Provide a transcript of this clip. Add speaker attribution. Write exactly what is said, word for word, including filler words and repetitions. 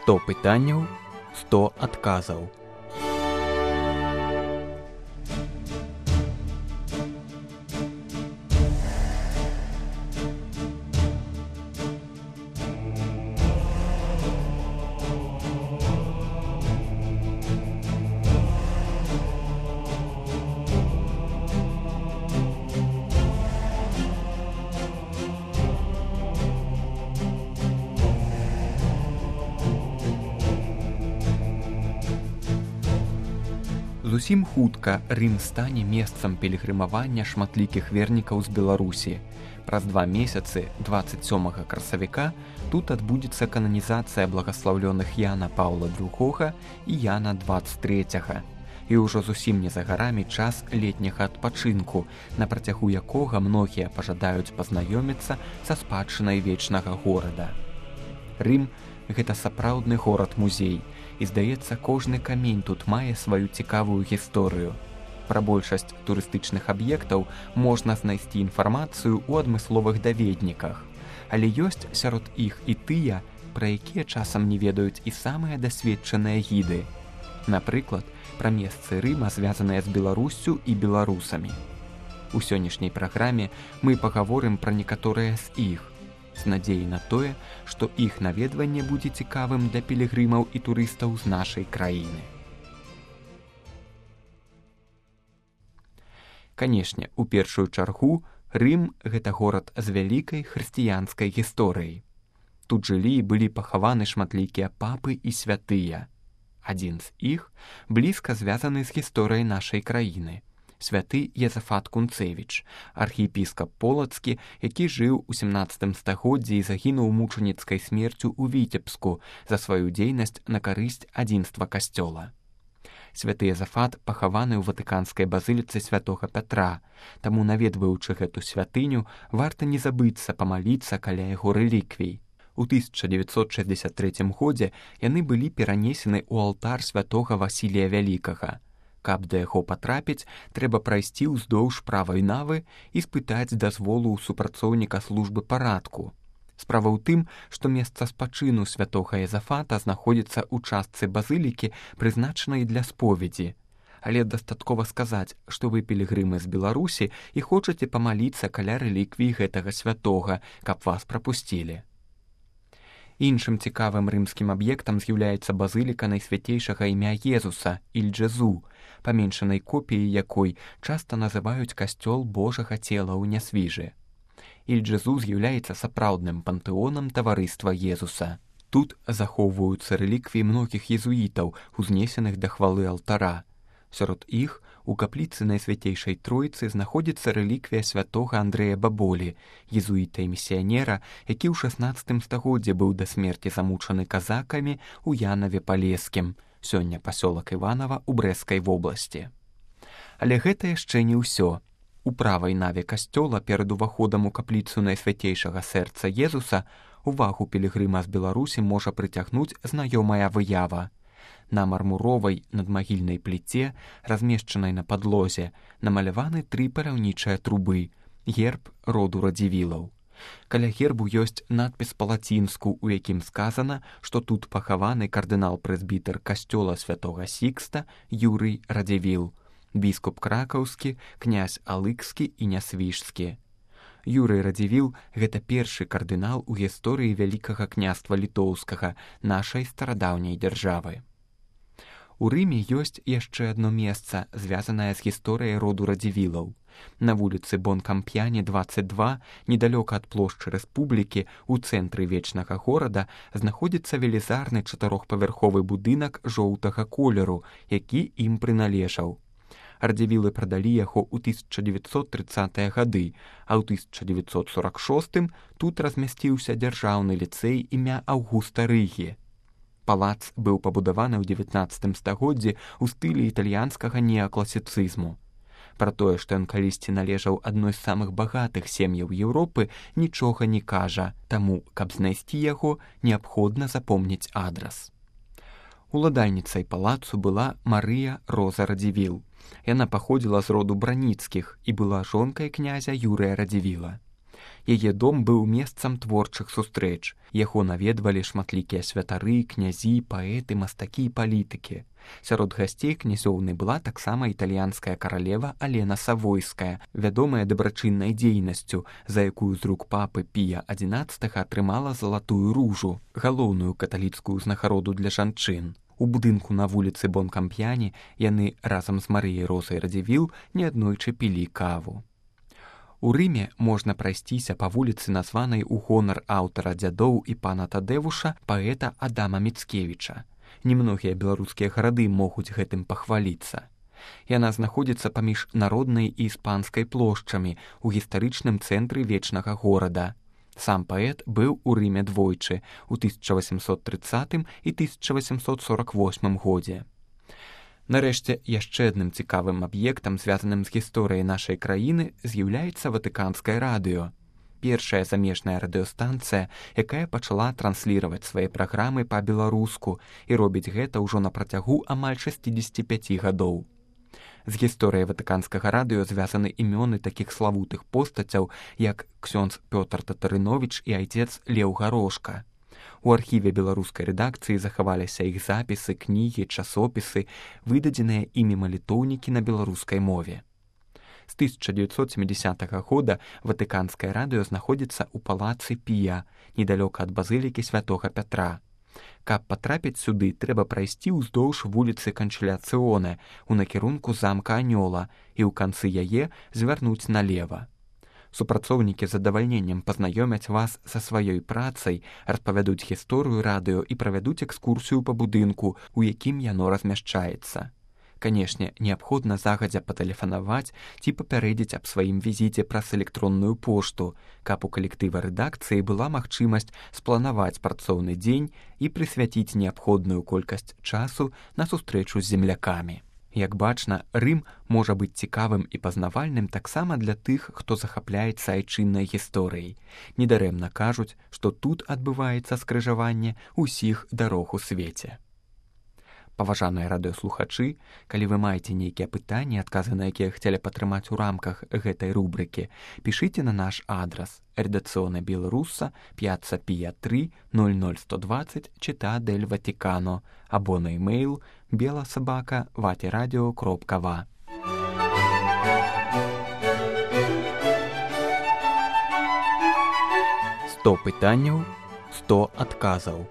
Speaker 1: сто пытанняў, сто адказаў. Зусім хутка Рым стане месцам пілігрымавання шматлікіх вернікаў з Беларусі. Праз два месяцы, дваццаць сёмага красавіка, тут адбудзецца кананізацыя благаслаўлёных Яна Паўла другога і Яна дваццаць трэцяга. І ўжо зусім не за гарамі час летняга адпачынку, на працягу якога многія пажадаюць пазнаёміцца са спадчынай вечнага горада. Рым – гэта сапраўдны горад-музей, і, здаецца, кожны камень тут мае сваю цікавую гісторыю. Пра большасць турыстычных аб'ектаў можна знайсці інфармацыю ў адмысловых даведніках, але ёсць сярод іх і тыя, пра якія часам не ведаюць і самыя дасведчаныя гіды. Напрыклад, пра месцы Рыма, звязаныя з Беларуссю і беларусамі. У сённяшняй праграме мы пагаворым пра некаторыя з іх, з надзеяй на тое, што іх наведванне будзе цікавым для пілігрымаў і турыстаў з нашай краіны. Канешне, у першую чаргу Рым – гэта горад з вялікай хрысціянскай гісторыяй. Тут жылі і былі пахаваны шматлікія папы і святыя. Адзін з іх блізка звязаны з гісторыяй нашай краіны. Святы Езафат Кунцевіч, архіепіскап полацкі, які жыў у сямнаццатым стагоддзі і загінуў мучаніцкай смерцю ў Віцебску за сваю дзейнасць на карысць адзінства касцёла. Святы Езафат пахаваны ў ватыканскай базыліцы святога Пятра, таму, наведваючы гэту святыню, варта не забыцца памаліцца каля яго рэліквій. У тысяча дзевяцьсот шэсцьдзесят трэцім годзе яны былі перанесены ў алтар святога Васілія Вялікага. Каб да яго патрапіць, трэба прайсці ўздоўж правай навы і спытаць дазволу ў супрацоўніка службы парадку. Справа ў тым, што месца спачыну святога Езафата знаходзіцца ў частцы базылікі, прызначанай для споведзі. Але дастаткова сказаць, што вы пілігрымы з Беларусі і хочаце памаліцца каля рэліквій гэтага святога, каб вас прапусцілі. Іншым цікавым рымскім аб'ектам з'яўляецца базыліка найсвяцейшага імя Езуса, Іль-Джезу, паменшанай копіяй якой часта называюць касцёл Божага цела ў Нясвіжы. Іль-Джезу з'яўляецца сапраўдным пантэонам таварыства Езуса. Тут захоўваюцца рэліквіі многіх езуітаў, узнесеных да хвалы алтара. Сярод іх у капліцы Найсвяцейшай Тройцы знаходзіцца рэліквія святога Андрэя Баболі, езуіта і місіянера, які ў шаснаццатым стагоддзі быў да смерці замучаны казакамі ў Янаве-Палескім, сёння пасёлак Іванава ў Брэсцкай вобласці. Але гэта яшчэ не ўсё. У правай наве касцёла перад уваходам у капліцу Найсвяцейшага сэрца Езуса увагу пілігрыма з Беларусі можа прыцягнуць знаёмая выява. На мармуровай надмагільнай пліце, размешчанай на падлозе, намаляваны тры паляўнічыя трубы, герб роду Радзівілаў. Каля гербу ёсць надпіс па-лацінску, у якім сказана, што тут пахаваны кардынал-прэзбітэр касцёла святога Сікста Юрый Радзівіл, біскуп кракаўскі, князь алыкскі і нясвіжскі. Юрый Радзівіл – гэта першы кардынал у гісторыі Вялікага княства літоўскага, нашай старадаўняй дзяржавы. У Рыме ёсць яшчэ адно месца, звязанае з гісторыяй роду Радзівілаў. На вуліцы Бон-Камп'яне, дваццаць два, недалёка ад плошчы Рэспублікі, у цэнтры вечнага горада, знаходзіцца велізарны чатырохпавярховы будынак жоўтага колеру, які ім прыналежаў. Радзівілы прадалі яго ў тысяча дзевяцьсот трыццатыя гады, а ў тысяча дзевяцьсот сорак шостым тут размясціўся дзяржаўны ліцэй імя Аўгуста Рыгі. Палац быў пабудаваны ў дзевятнаццатым стагоддзі ў стылі італьянскага неакласіцызму. Пра тое, што ён калісьці належаў адной з самых багатых сем'яў Еўропы, нічога не кажа, таму, каб знайсці яго, неабходна запомніць адрас. Уладальніцай палацу была Марыя Роза Радзівіл. Яна паходзіла з роду Браніцкіх і была жонкай князя Юрыя Радзівіла. Яе дом быў месцам творчых сустрэч. Яго наведвалі шматлікія святары, князі, паэты, мастакі і палітыкі. Сярод гасцей князёўны была таксама італьянская каралева Алена Савойская, вядомая дабрачыннай дзейнасцю, за якую з рук папы Пія адзінаццатага атрымала залатую ружу, галоўную каталіцкую узнагароду для жанчын. У будынку на вуліцы Бонкамп'яні яны разам з Марыяй Розай Радзівіл неаднойчы пілі каву. У Рыме можна прайсціся па вуліцы, названай у гонар аўтара дзядоў і пана Тадэвуша, паэта Адама Міцкевіча. Немногія беларускія гарады могуць гэтым пахваліцца. Яна знаходзіцца паміж народнай і іспанскай плошчамі ў гістарычным цэнтры вечнага горада. Сам паэт быў у Рыме двойчы, у тысяча васемсот трыццатым і тысяча васемсот сорак восьмым годзе. Нарэшце, яшчэ адным цікавым аб'ектам, звязаным з гісторыяй нашай краіны, з'яўляецца Ватыканскае радыё. Першая замежная радыёстанцыя, якая пачала трансліраваць свае праграмы па-беларуску і робіць гэта ўжо на працягу амаль шэсцідзесяці пяці гадоў. З гісторыяй Ватыканскага радыё звязаны імёны такіх славутых постацяў, як ксёндз Пётр Татарыновіч і айцец Леў Гарошка. У архіве беларускай рэдакцыі захаваліся іх запісы, кнігі, часопісы, выдадзеныя імі малітоўнікі на беларускай мове. З тысяча дзевяцьсот сямідзясятага года Ватыканскае радыё знаходзіцца ў палацы Пія, недалёка ад базылікі святога Пятра. Каб патрапіць сюды, трэба прайсці ўздоўж вуліцы Канчыляцыёне ў накірунку замка Анёла і ў канцы яе звярнуць налева. Супрацоўнікі з задавальненнем пазнаёмяць вас са сваёй працай, распавядуць гісторыю радыё і правядуць экскурсію па будынку, у якім яно размяшчаецца. Канешне, неабходна загадзя патэлефанаваць ці папярэдзіць аб сваім візіце праз электронную пошту, каб у калектыва рэдакцыі была магчымасць спланаваць працоўны дзень і прысвяціць неабходную колькасць часу на сустрэчу з землякамі. Як бачна, Рым можа быць цікавым і пазнавальным таксама для тых, хто захапляецца айчыннай гісторыяй. Недарэмна кажуць, што тут адбываецца скрыжаванне ўсіх дарог у свеце. Паважаныя радыёслухачы, калі вы маеце нейкія пытанні, адказы на якія хацелі патрымаць у рамках гэтай рубрыкі, пішыце на наш адрас редакцыёна Беларуса, п'яцца Пія тры, ноль ноль сто дваццаць, Città del Vaticano, або на імейл беласабака ватерадио кропка ва. сто пытанняў, сто адказаў.